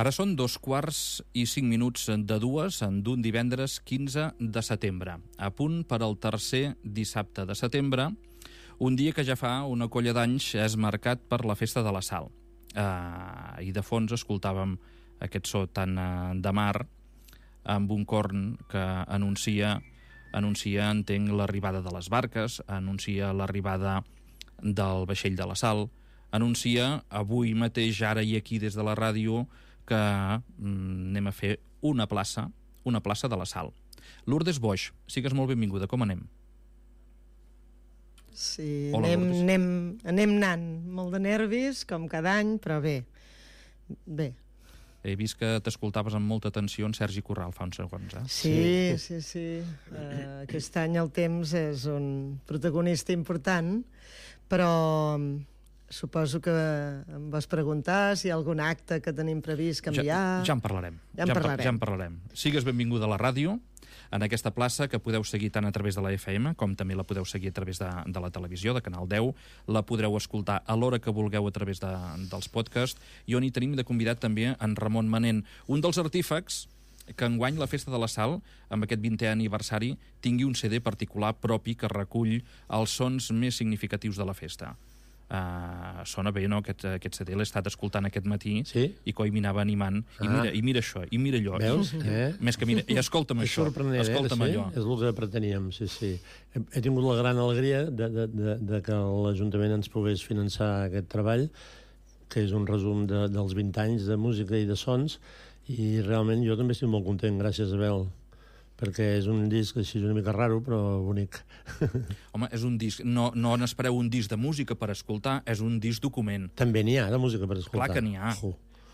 Ara són 2:05 d'un divendres 15 de setembre, a punt per al tercer dissabte de setembre, un dia que ja fa una colla d'anys és marcat per la Festa de la Sal. I de fons escoltàvem aquest so tan de mar, amb un corn que anuncia, entenc, l'arribada de les barques, anuncia l'arribada del vaixell de la Sal, anuncia avui mateix, ara i aquí des de la ràdio, que anem a fer una plaça de la Sal. Lourdes Boix, sigues molt benvinguda, com anem? Sí, Hola, anem anant, molt de nervis, com cada any, però bé. He vist que t'escoltaves amb molta atenció en Sergi Corral fa uns segons, eh? Sí. Aquest any el temps és un protagonista important, però suposo que em vas preguntar si hi ha algun acte que tenim previst canviar. Ja en parlarem. Sigues benvinguda a la ràdio, en aquesta plaça que podeu seguir tant a través de la FM com també la podeu seguir a través de la televisió, de Canal 10. La podreu escoltar a l'hora que vulgueu a través dels podcasts, i on hi tenim de convidat també en Ramon Manent, un dels artífecs que enguany la Festa de la Sal, amb aquest 20è aniversari, tingui un CD particular propi que recull els sons més significatius de la festa. Sona bé, no? Aquest CD l'he estat escoltant aquest matí, sí? I coi m'anava animant, i mira això, i mira allò. Veus? Més que mira, i escolta'm és això, escolta'm allò. És el que preteníem, sí. He tingut la gran alegria de que l'Ajuntament ens pogués finançar aquest treball, que és un resum dels 20 anys de música i de sons, i realment jo també estic molt content, gràcies, Abel, perquè és un disc així una mica raro, però bonic. Home, és un disc, no n'espereu un disc de música per escoltar, és un disc document. També n'hi ha de música per escoltar. Clar que n'hi ha,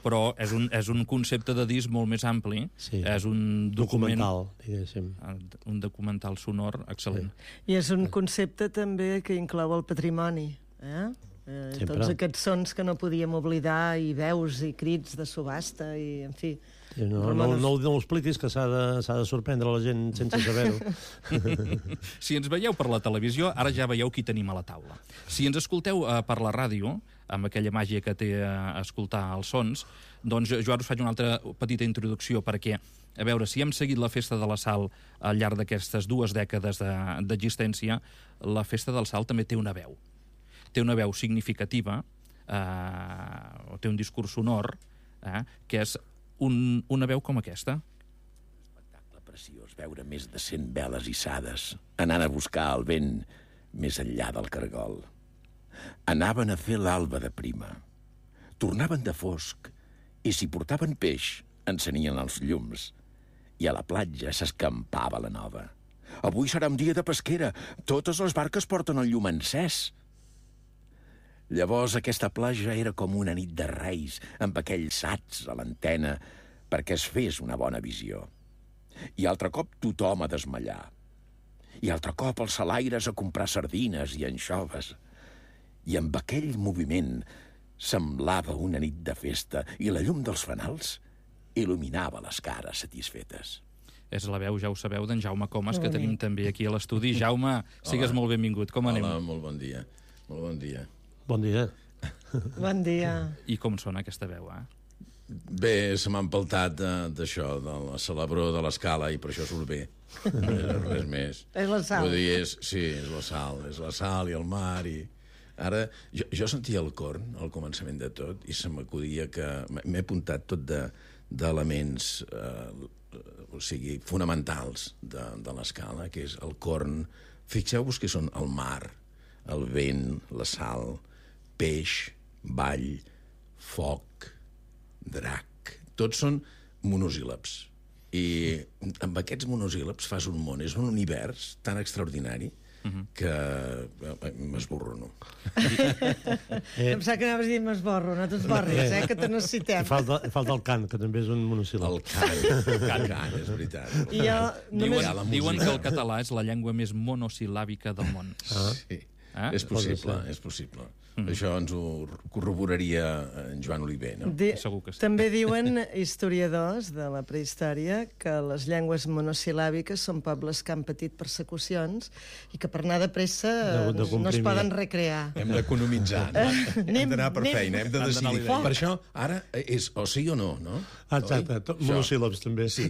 però és un concepte de disc molt més ampli, és un documental, diguéssim. Un documental sonor excel·lent. I és un concepte també que inclou el patrimoni, tots aquests sons que no podíem oblidar, i veus i crits de subhasta, i en fi. No ho expliquis, que s'ha de sorprendre la gent sense saber-ho. Si ens veieu per la televisió, ara ja veieu qui tenim a la taula. Si ens escolteu per la ràdio, amb aquella màgia que té escoltar els sons, doncs jo ara us faig una altra petita introducció, perquè, a veure, si hem seguit la Festa de la Sal al llarg d'aquestes 2 dècades d'existència, la Festa del Sal també té una veu. Té una veu significativa, té un discurs sonor, que és una veu com aquesta. Espectacle preciós, veure més de 100 veles hissades, anant a buscar el vent més enllà del cargol. Anaven a fer l'alba de prima. Tornaven de fosc, i si portaven peix, encenien els llums. I a la platja s'escampava la nova. Avui serà un dia de pesquera, totes les barques porten el llum encès. Llavors aquesta platja era com una nit de reis, amb aquells sats a l'antena perquè es fes una bona visió. I altre cop tothom a desmallar. I altre cop els salaires a comprar sardines i anxoves. I amb aquell moviment semblava una nit de festa, i la llum dels fanals il·luminava les cares satisfetes. És la veu, ja ho sabeu, d'en Jaume Comas, que tenim també aquí a l'estudi. Jaume, sigues molt benvingut. Com anem? Hola, molt bon dia. Molt bon dia. Bon dia. Bon dia. I com sona aquesta veu, Bé, se m'ha empaltat d'això, de la celebró de l'escala, i per això surt bé. Res més. És la sal. Vull dir, és la sal i el mar, i... Ara, jo sentia el corn al començament de tot, i se m'acudia que m'he apuntat tot d'elements fonamentals de l'escala, que és el corn. Fixeu-vos que són el mar, el vent, la sal, peix, ball, foc, drac. Tots són monosíl·labs. I amb aquests monosíl·labs fas un món, és un univers tan extraordinari que m'esborrono. Em sap que anaves a dir m'esborro, no t'esborris, que te necessitem. Falta el cant, que també és un monosíl·lab. El cant, és veritat. Diuen que el català és la llengua més monosil·làbica del món. Sí. És possible. Això ens ho corroboraria en Joan Oliver, no? Segur que sí. També diuen historiadors de la prehistòria que les llengües monosil·làbiques són pobles que han patit persecucions i que per anar de pressa no es poden recrear. Hem d'economitzar, no? Hem d'anar per feina, hem de decidir. d'anar Per això, ara, és o sí o no, no? Exacte, monosíl·labs també. Sí.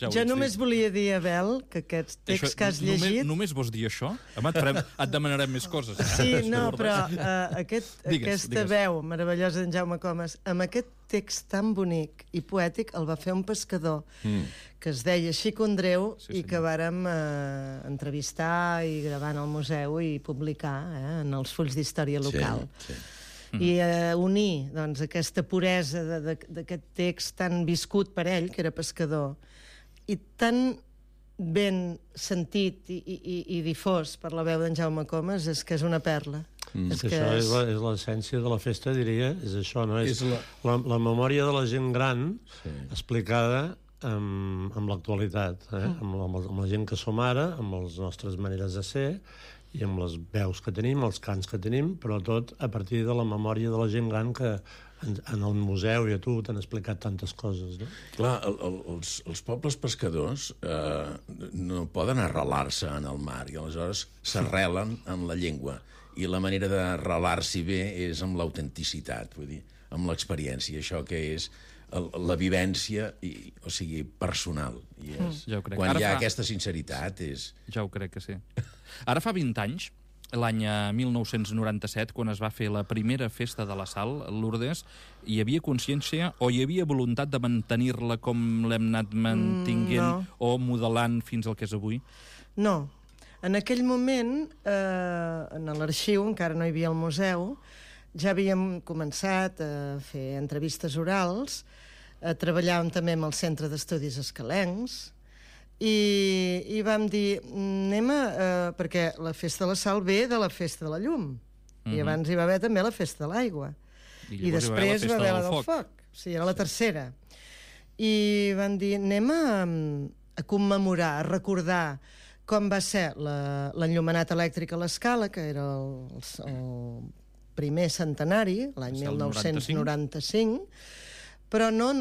Jo només volia dir, Abel, que aquest text que has llegit... Només vols dir això? Home, et demanarem més coses. Sí, no, però aquesta veu meravellosa d'en Jaume Comas, amb aquest text tan bonic i poètic, el va fer un pescador que es deia Xico Andreu i que vàrem entrevistar i gravar en el museu i publicar en els fulls d'història local. Sí. I unir doncs, aquesta puresa d'aquest text tan viscut per ell, que era pescador, i tan ben sentit i difós per la veu d'en Jaume Comas, és que és una perla. És que això és l'essència de la festa, diria, és això, no? És la memòria de la gent gran explicada amb l'actualitat, amb la gent que som ara, amb les nostres maneres de ser i amb les veus que tenim, els cants que tenim, però tot a partir de la memòria de la gent gran que en el museu i a tu t'han explicat tantes coses, no? Clar, els pobles pescadors no poden arrelar-se en el mar i aleshores s'arrelen en la llengua. I la manera d'arrelar-s'hi bé és amb l'autenticitat, vull dir, amb l'experiència, això que és la vivència, o sigui, personal. I Ja ho crec. quan hi ha aquesta sinceritat és... Ja ho crec que sí. Ara fa 20 anys, l'any 1997, quan es va fer la primera festa de la Sal, Lourdes, hi havia consciència o hi havia voluntat de mantenir-la com l'hem anat mantinguent o modelant fins al que és avui? No. En aquell moment, en l'arxiu, encara no hi havia el museu, ja havíem començat a fer entrevistes orals, treballàvem també amb el Centre d'Estudis Escalencs, i vam dir, perquè la Festa de la Sal ve de la Festa de la Llum, i abans hi va haver també la Festa de l'Aigua, i després va haver la del Foc. Sí, era la tercera. I vam dir, anem a commemorar, a recordar com va ser l'enllumenat elèctric a l'Escala, que era el primer centenari, l'any 1995, però no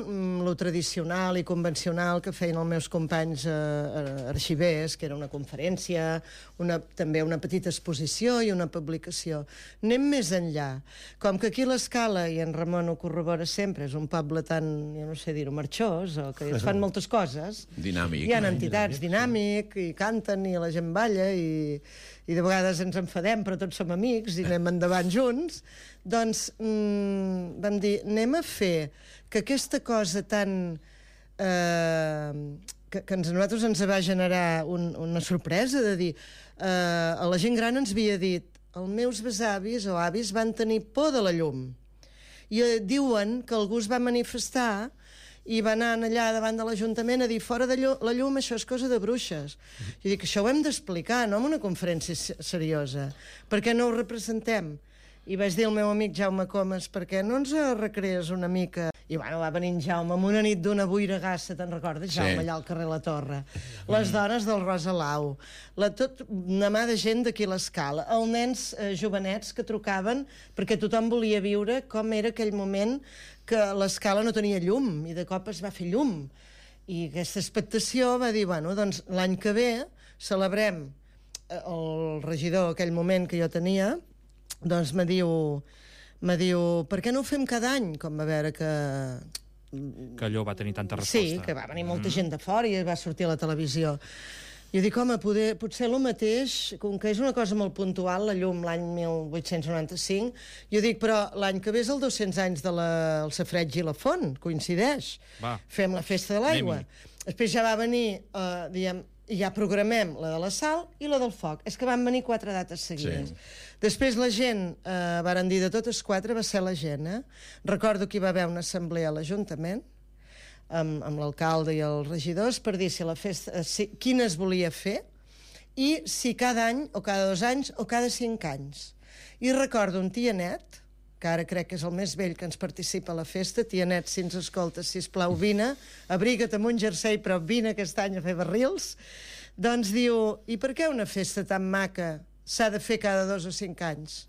lo tradicional i convencional que feien els meus companys arxivers, que era una conferència, també una petita exposició i una publicació. Anem més enllà. Com que aquí l'Escala, i en Ramon ho corrobora sempre, és un poble tan, jo no sé dir-ho, marxós, o que es fan moltes coses. Dinàmic. Hi ha entitats dinàmic, i canten, i la gent balla, i de vegades ens enfadem, però tots som amics, i anem endavant junts. Doncs vam dir, anem a fer que aquesta cosa tan... que a nosaltres ens va generar una sorpresa de dir... a la gent gran ens havia dit els meus besavis o avis van tenir por de la llum. I diuen que algú es va manifestar i va anar allà davant de l'Ajuntament a dir fora de la llum això és cosa de bruixes. Jo dic, això ho hem d'explicar, no en una conferència seriosa. Per què no ho representem? I vaig dir al meu amic Jaume Comas, per què no ens recrees una mica? I bueno, va venir en Jaume amb una nit d'una boiragassa, te'n recordes, Jaume, allà al carrer La Torre? Les dones del Rosa Lau, una mà de gent d'aquí a l'Escala, els nens jovenets que trucaven perquè tothom volia viure com era aquell moment que l'Escala no tenia llum i de cop es va fer llum. I aquesta expectació va dir, bueno, doncs l'any que ve celebrem el regidor aquell moment que jo tenia, doncs me diu, per què no ho fem cada any? Com va veure que... Que allò va tenir tanta resposta. Sí, que va venir molta gent de fora i va sortir a la televisió. Jo dic, home, potser el mateix, com que és una cosa molt puntual, la llum l'any 1895, jo dic, però l'any que ve és el 200 anys del Safareig i la Font, coincideix. Va. Fem la Festa de l'Aigua. Després ja va venir, diguem, i ja programem la de la Sal i la del Foc. És que van venir 4 dates seguides. Sí. Després la gent, varen dir de totes 4, va ser la gent. Recordo que hi va haver una assemblea a l'Ajuntament, amb l'alcalde i els regidors, per dir si la festa, quina es volia fer, i si cada any, o cada 2 anys, o cada 5 anys. I recordo un tianet, que ara crec que és el més vell que ens participa a la festa, tianet, si ens escoltes, sisplau, vine, abriga't amb un jersei, però vine aquest any a fer barrils, doncs diu, i per què una festa tan maca s'ha de fer cada 2 o 5 anys.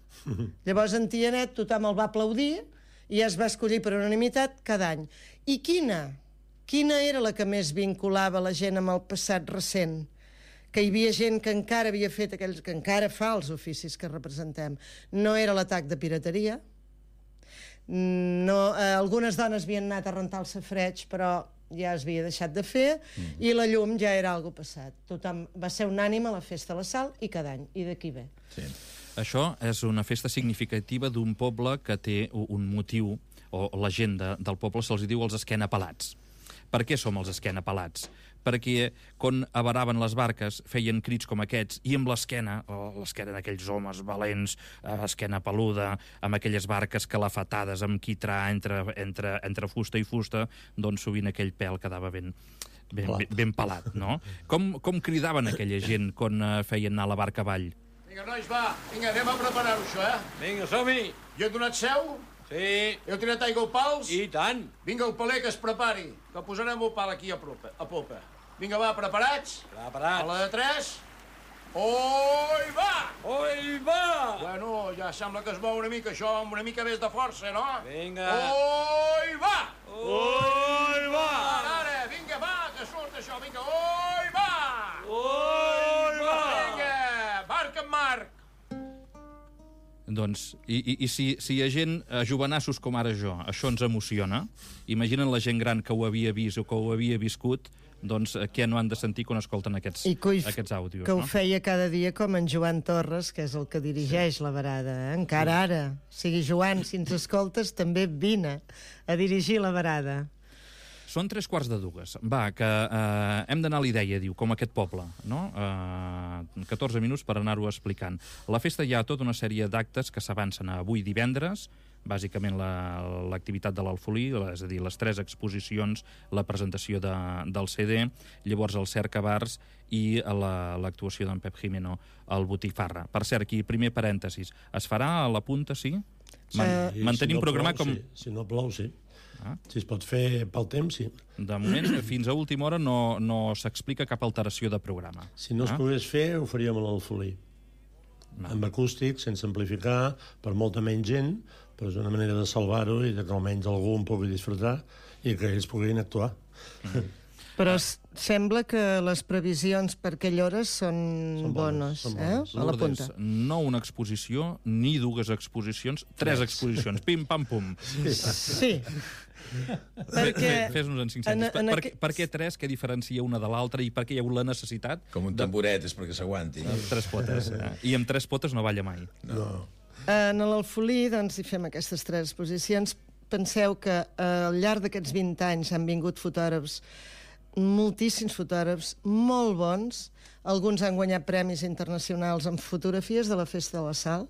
Llavors, en Tianet tothom el va aplaudir i es va escollir per unanimitat cada any. I quina era la que més vinculava la gent amb el passat recent? Que hi havia gent que encara havia fet aquells, que encara fa els oficis que representem. No era l'atac de pirateria. No, algunes dones havien anat a rentar el safareig, però ja es havia deixat de fer, i la llum ja era algo passat. Tothom va ser unànime a la Festa de la Sal, i cada any. I d'aquí ve. Sí. Això és una festa significativa d'un poble que té un motiu, o la gent del poble se'ls diu els esquenapelats. Per què som els esquenapelats? Perquè quan avaraven les barques feien crits com aquests, i amb l'esquena d'aquells homes valents, esquena peluda, amb aquelles barques calafatades, amb quitrà entre fusta i fusta, doncs sovint aquell pèl quedava ben pelat, no? Com cridaven aquella gent quan feien anar la barca avall? Vinga, nois, va. Vinga, anem a preparar-ho, això, Vinga, som-hi. Jo he donat seu? Sí. Heu tirat aigua als pals? I tant. Vinga, el paler que es prepari, que posarem el pal aquí a popa. Vinga, va, preparats? Preparats. A la de 3. Oi, va! Oi, va! Bueno, ja sembla que es mou una mica, això, amb una mica més de força, no? Vinga. Oi, va! Oi, va! Ara, vinga, va, que surt això, vinga, oi, va! Oi, va! Vinga, barca en marc. Doncs, i si hi ha gent, jovenassos com ara jo, això ens emociona, imaginen la gent gran que ho havia vist o que ho havia viscut, doncs què no han de sentir quan escolten aquests àudios. Que ho feia cada dia com en Joan Torres, que és el que dirigeix la verada. Encara ara. O sigui, Joan, si ens escoltes, també vine a dirigir la verada. Són 3:15. Va, que hem d'anar a l'idea, diu, com aquest poble, no? 14 minuts per anar-ho explicant. A la festa hi ha tota una sèrie d'actes que s'avancen a avui divendres, bàsicament l'activitat de l'Alfolí, és a dir, les 3 exposicions, la presentació del CD, llavors el Cercabars i l'actuació d'en Pep Jimeno al Botifarra. Per cert, aquí, primer parèntesis, es farà a la punta, sí? Mantenim programat com... Si no plou, sí. Si es pot fer pel temps, sí. De moment, fins a última hora no s'explica cap alteració de programa. Si no es pogués fer, ho faríem a l'Alfolí. Amb acústic, sense amplificar, per molta menys gent, però és una manera de salvar-ho i que almenys algú en pugui disfrutar i que ells puguin actuar. Però sembla que les previsions per aquella hora són bones. A la punta. No una exposició, ni 2 exposicions, 3 exposicions. Pim, pam, pum. Sí. Fes-nos en 5 cèntims. Per què 3? Què diferencia una de l'altra i per què hi ha hagut la necessitat? Com un tamboret, és perquè s'aguanti. Amb 3 potes. I amb 3 potes no balla mai. No. En l'Alfolí, doncs, hi fem aquestes 3 exposicions. Penseu que al llarg d'aquests 20 anys han vingut fotògrafs, moltíssims fotògrafs, molt bons. Alguns han guanyat premis internacionals en fotografies de la Festa de la Sal.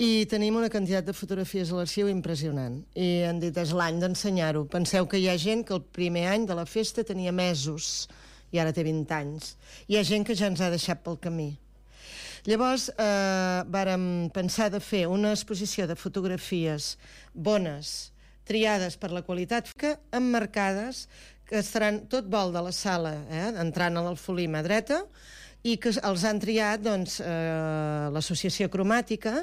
I tenim una quantitat de fotografies a l'arxiu impressionant. I han dit, és l'any d'ensenyar-ho. Penseu que hi ha gent que el primer any de la festa tenia mesos i ara té 20 anys. Hi ha gent que ja ens ha deixat pel camí. Llavors, vàrem pensar de fer una exposició de fotografies bones, triades per la qualitat, emmarcades, que estaran tot vol de la sala, entrant a l'Alfolí mà dreta, i que els han triat doncs, l'Associació Cromàtica,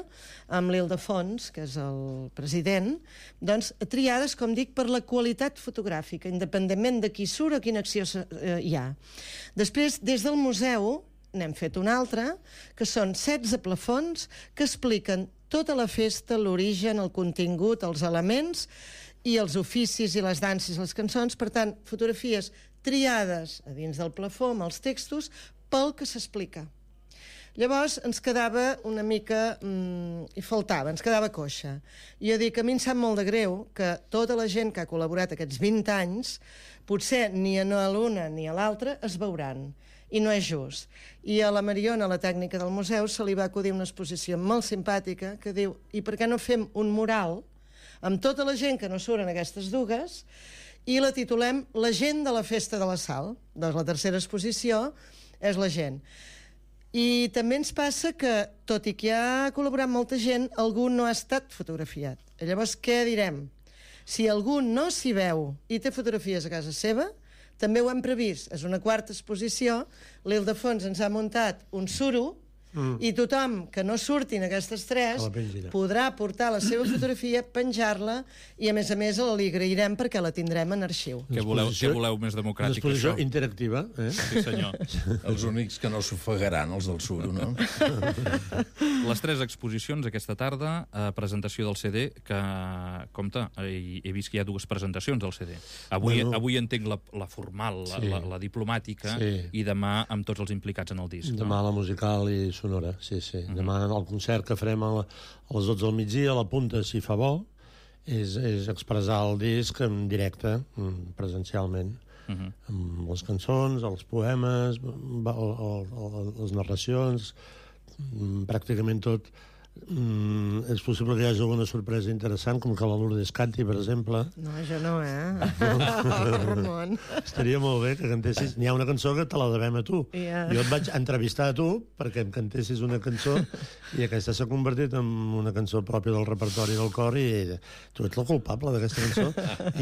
amb l'Ildefons, que és el president, doncs, triades, com dic, per la qualitat fotogràfica, independentment de qui surt o quina acció hi ha. Després, des del museu, n'hem fet una altra, que són 16 plafons que expliquen tota la festa, l'origen, el contingut, els elements i els oficis i les danses, les cançons. Per tant, fotografies triades a dins del plafó amb els textos pel que s'explica. Llavors ens quedava una mica... hi faltava, ens quedava coixa. I jo dic, a mi em sap molt de greu que tota la gent que ha col·laborat aquests 20 anys, potser ni a l'una ni a l'altra es veuran. I no és just. I a la Mariona, la tècnica del museu, se li va acudir una exposició molt simpàtica que diu, i per què no fem un mural amb tota la gent que no surt en aquestes 2 i la titulem La gent de la Festa de la Sal. Doncs la tercera exposició és la gent. I també ens passa que, tot i que ha col·laborat molta gent, algú no ha estat fotografiat. Llavors, què direm? Si algú no s'hi veu i té fotografies a casa seva, també ho hem previst. És una 4ª exposició. L'Ildefons ens ha muntat un suro i tothom que no surtin aquestes 3 podrà portar la seva fotografia, penjar-la, i a més li agrairem perquè la tindrem en arxiu. Què voleu més democràtic, això? Una exposició això? interactiva. Sí, senyor. Els únics que no s'ofegaran, els del suro, no? Les 3 exposicions aquesta tarda, presentació del CD, que, compte, he vist que hi ha 2 presentacions del CD. Avui entenc la formal, la diplomàtica, i demà amb tots els implicats en el disc. Demà la musical i sonora, sí. Demà el concert que farem a les 12 del migdia, a la punta, si fa bo, és expressar el disc en directe, presencialment, amb les cançons, els poemes, les narracions, pràcticament tot. És possible que hi hagi alguna sorpresa interessant, com que la Lourdes canti, per exemple. No, això no, Ramon. Estaria molt bé que cantessis. N'hi ha una cançó que te la devem a tu. Jo et vaig entrevistar a tu perquè em cantessis una cançó i aquesta s'ha convertit en una cançó pròpia del repertori del cor i tu ets la culpable d'aquesta cançó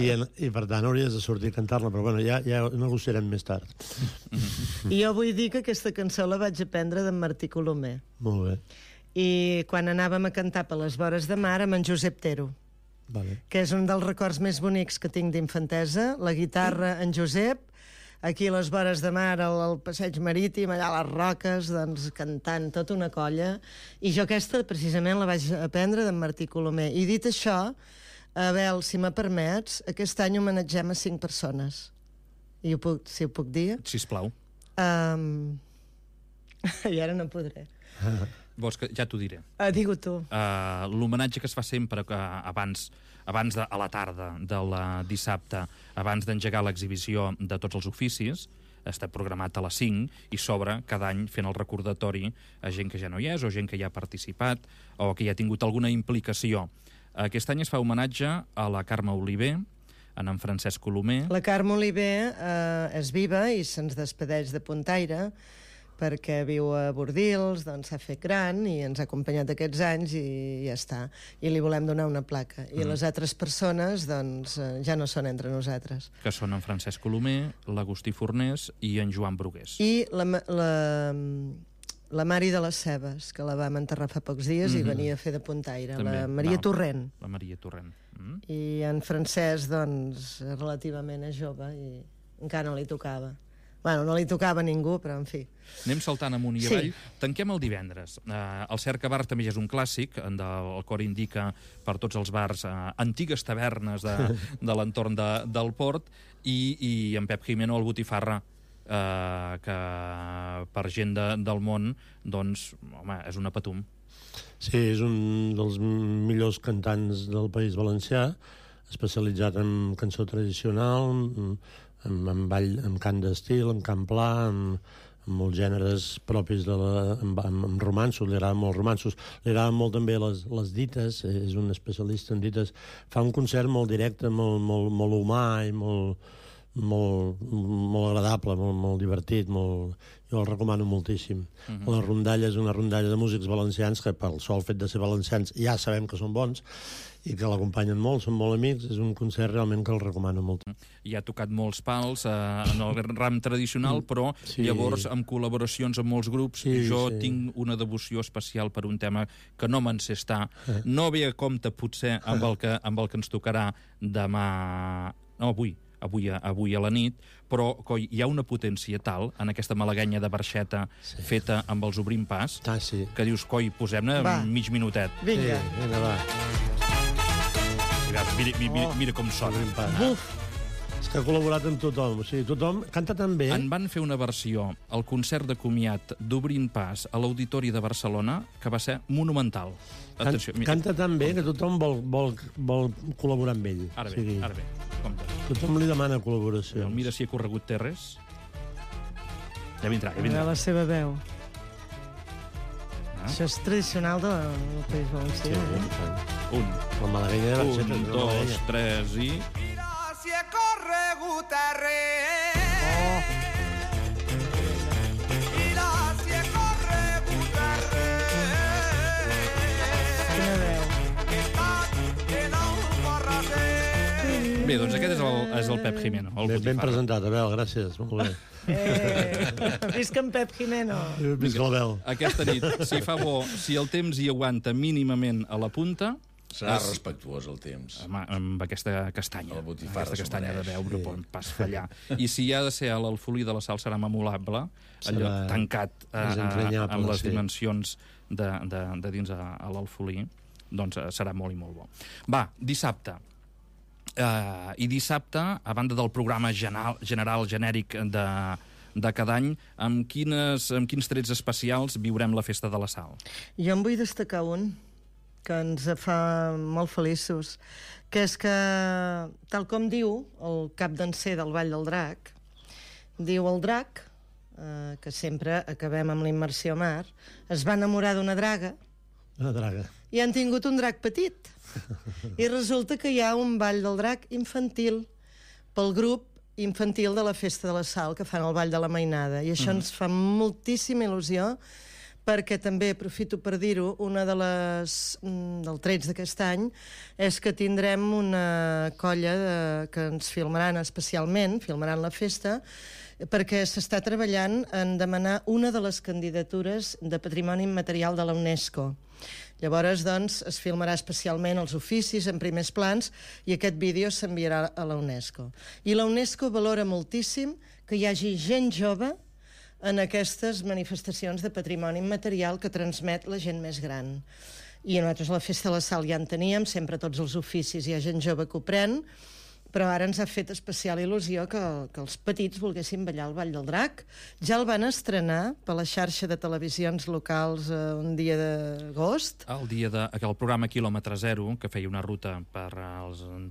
i per tant hauries de sortir a cantar-la, però bueno, ja negociarem més tard. I jo vull dir que aquesta cançó la vaig aprendre d'en Martí Colomer. Molt bé. I quan anàvem a cantar per les vores de mar amb en Josep Tero, que és un dels records més bonics que tinc d'infantesa, la guitarra en Josep, aquí a les vores de mar, al passeig marítim, allà a les roques, doncs cantant tota una colla, i jo aquesta precisament la vaig aprendre d'en Martí Colomer. I dit això, Abel, si me permets, aquest any homenatgem a 5 persones. I si ho puc dir? Sisplau. I ara no podré. Vols que ja t'ho diré. Digue-ho tu. L'homenatge que es fa sempre abans a la tarda del dissabte, abans d'engegar l'exhibició de tots els oficis, està programat a les 5 i s'obre cada any fent el recordatori a gent que ja no hi és o gent que ja ha participat o que ja ha tingut alguna implicació. Aquest any es fa homenatge a la Carme Oliver, en Francesc Colomer. La Carme Oliver és viva i se'ns despedeix de Puntaire, perquè viu a Bordils, doncs s'ha fet gran i ens ha acompanyat aquests anys i ja està. I li volem donar una placa. I les altres persones, doncs, ja no són entre nosaltres. Que són en Francesc Colomer, l'Agustí Fornés i en Joan Brugués. I la Mari de les Cebes, que la vam enterrar fa pocs dies i venia a fer de Puntaire. La Maria Torrent. La Maria Torrent. I en Francesc, doncs, relativament és jove i encara no li tocava. Bueno, no li tocava a ningú, però en fi. Anem saltant amunt i avall. Tanquem el divendres. El Cerca Bar també és un clàssic, el cor indica per tots els bars, antigues tavernes de l'entorn del port, i en Pep Jimeno, el Botifarra, que per gent del món, doncs, home, és una patum. Sí, és un dels millors cantants del País Valencià, especialitzat en cançó tradicional, en ball, en cant d'estil, en cant pla, amb molts gèneres propis amb romanços, li agraden molt romanços, li agraden molt també les dites, és un especialista en dites, fa un concert molt directe, molt humà i molt agradable, molt divertit, jo el recomano moltíssim. La rondalla és una rondalla de músics valencians que pel sol fet de ser valencians ja sabem que són bons i que l'acompanyen molt, són molt amics, és un concert realment que el recomano molt. I ha tocat molts pals en el ram tradicional, però llavors amb col·laboracions amb molts grups, jo tinc una devoció especial per un tema que no me'n sé estar, no ve a compte potser amb el que ens tocarà demà, no, avui a la nit, però coi, hi ha una potència tal en aquesta malaguenya de barxeta feta amb els Obrim Pas, que dius, coi, posem-ne mig minutet. Vinga. Vinga, va. Mira com sona. És que ha col·laborat amb tothom, o sigui, tothom canta tan bé. En van fer una versió al concert de comiat d'Obrint Pas a l'Auditori de Barcelona que va ser monumental. Atenció, canta tan bé que tothom vol col·laborar amb ell. Ara bé, compte. Tothom li demana col·laboració. Mira si ha corregut terres. Ja vindrà. La seva veu. Això és tradicional del País Valencià. La malaguenya de barxeta. 1, 2, 3 i... Mira si he corregut terres. Mira si he corregut terres. Quina veu. Que no ho pot refer. Bé, doncs aquest és el Pep Jimeno. Ben presentat, Abel, gràcies. Molt bé. Visca en Pep Jimeno. Visca l'Abel. Aquesta nit, si fa bo, si el temps hi aguanta mínimament a la punta... Serà respectuós el temps. Amb aquesta castanya. La botifarra aquesta castanya de veure, sí. pot pas fallar. I si hi ha de ser a l'Alfolí de la Sal, serà memorable, allò tancat amb les dimensions de dins a l'Alfolí, doncs serà molt i molt bo. Va, dissabte. I dissabte, a banda del programa general genèric de cada any, amb quins trets especials viurem la Festa de la Sal? Jo en vull destacar un que ens fa molt feliços, que és que, tal com diu el cap danser del Ball del Drac, diu el drac, que sempre acabem amb la immersió a mar, es va enamorar d'una draga, i han tingut un drac petit. I resulta que hi ha un Ball del Drac infantil pel grup infantil de la Festa de la Sal, que fan el Ball de la Mainada. I això ens fa moltíssima il·lusió, perquè també, aprofito per dir-ho, una dels trets d'aquest any és que tindrem una colla que ens filmaran especialment, filmaran la festa, perquè s'està treballant en demanar una de les candidatures de Patrimoni Immaterial de la UNESCO. Llavors, doncs, es filmarà especialment els oficis en primers plans i aquest vídeo s'enviarà a la UNESCO. I la UNESCO valora moltíssim que hi hagi gent jove en aquestes manifestacions de patrimoni immaterial que transmet la gent més gran. I nosaltres a la Festa de la Sal ja en teníem, sempre tots els oficis hi ha gent jove que ho pren, però ara ens ha fet especial il·lusió que els petits volguessin ballar el Ball del Drac. Ja el van estrenar per la xarxa de televisions locals un dia d'agost. El dia del programa Quilòmetre Zero, que feia una ruta per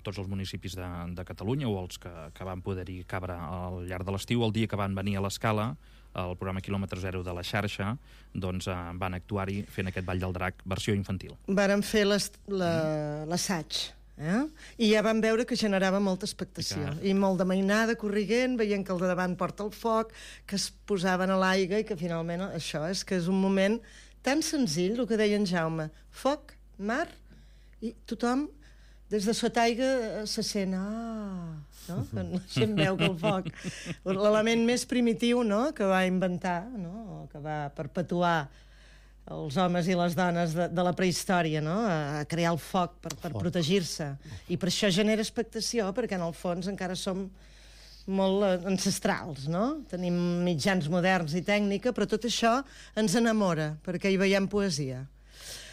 tots els municipis de Catalunya, o els que van poder-hi cabre al llarg de l'estiu, el dia que van venir a l'Escala, el programa Quilòmetre Zero de la xarxa, doncs van actuar-hi fent aquest Ball del Drac versió infantil. Varen fer l'assaig, i ja vam veure que generava molta expectació. I molt de mainada, corriguent, veient que el de davant porta el foc, que es posaven a l'aigua i que finalment això és que és un moment tan senzill, el que deia en Jaume. Foc, mar, i tothom des de sota aigua se sent... no? La gent veu que el foc... L'element més primitiu, no?, que va inventar, no?, que va perpetuar els homes i les dones de la prehistòria, no?, a crear el foc per protegir-se. I per això genera expectació, perquè en el fons encara som molt ancestrals, no? Tenim mitjans moderns i tècnica, però tot això ens enamora, perquè hi veiem poesia.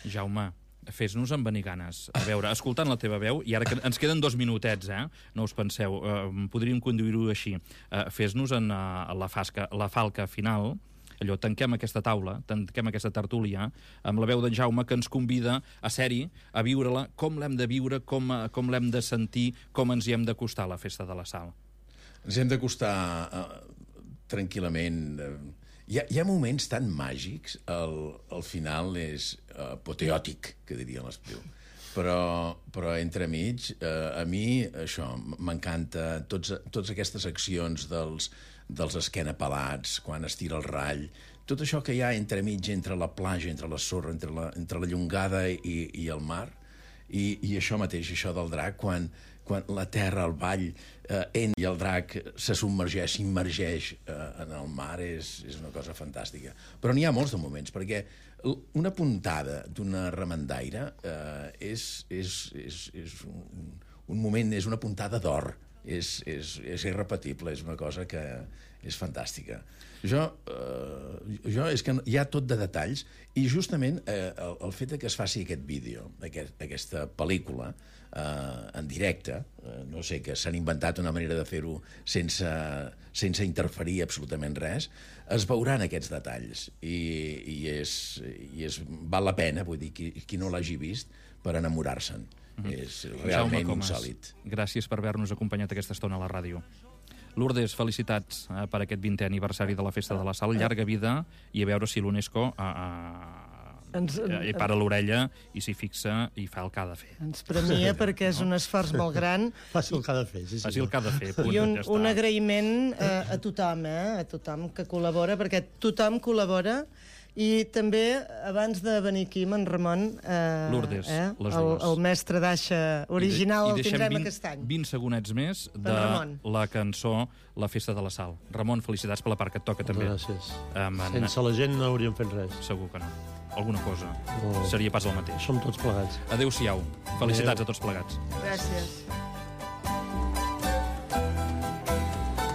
Jaume, fes-nos envenir ganes. A veure, escoltant la teva veu, i ara que ens queden 2 minutets, no us penseu, podríem conduir-ho així. Fes-nos en la falca final, allò, tanquem aquesta taula, tanquem aquesta tertúlia, amb la veu d'en Jaume, que ens convida a ser-hi, a viure-la, com l'hem de viure, com l'hem de sentir, com ens hi hem d'acostar a la Festa de la Sal. Ens hem d'acostar tranquil·lament. Hi ha moments tan màgics, el final és apoteòtic, que diria l'Espriu. Però entremig, a mi, això, m'encanta totes aquestes accions dels esquenapelats, quan es tira el rall, tot això que hi ha entremig entre la platja, entre la sorra, entre la llongada i el mar, i això mateix, això del drac, quan la terra, el vall, i el drac se submergeix, s'immergeix en el mar, és una cosa fantàstica. Però n'hi ha molts de moments, perquè una puntada d'una remendaire és un moment, és una puntada d'or, és irrepetible, és una cosa que és fantàstica. És que hi ha tot de detalls, i justament el fet que es faci aquest vídeo, aquesta pel·lícula, en directe, no sé, que s'han inventat una manera de fer-ho sense interferir absolutament res, es veuran aquests detalls, i val la pena, vull dir, qui no l'hagi vist, per enamorar-se'n. És realment insòlit. Gràcies per haver-nos acompanyat aquesta estona a la ràdio. Lourdes, felicitats per aquest 20è aniversari de la Festa de la Sal, llarga vida, i a veure si l'UNESCO hi para l'orella i s'hi fixa i fa el que ha de fer. Ens premia perquè és un esforç molt gran. Faci el que ha de fer, sí. Faci el que ha de fer, punt. I un agraïment a tothom que col·labora, perquè tothom col·labora I també, abans de venir aquí, amb en Ramon, Lourdes, les dues. el mestre d'aixa original el tindrem aquest any. 20 segonets més de la cançó La festa de la Sal. Ramon, felicitats per la part que et toca, també. Gràcies. Sense la gent no hauríem fet res. Segur que no. Alguna cosa. Seria pas el mateix. Som tots plegats. Adéu-siau. Felicitats a tots plegats. Gràcies.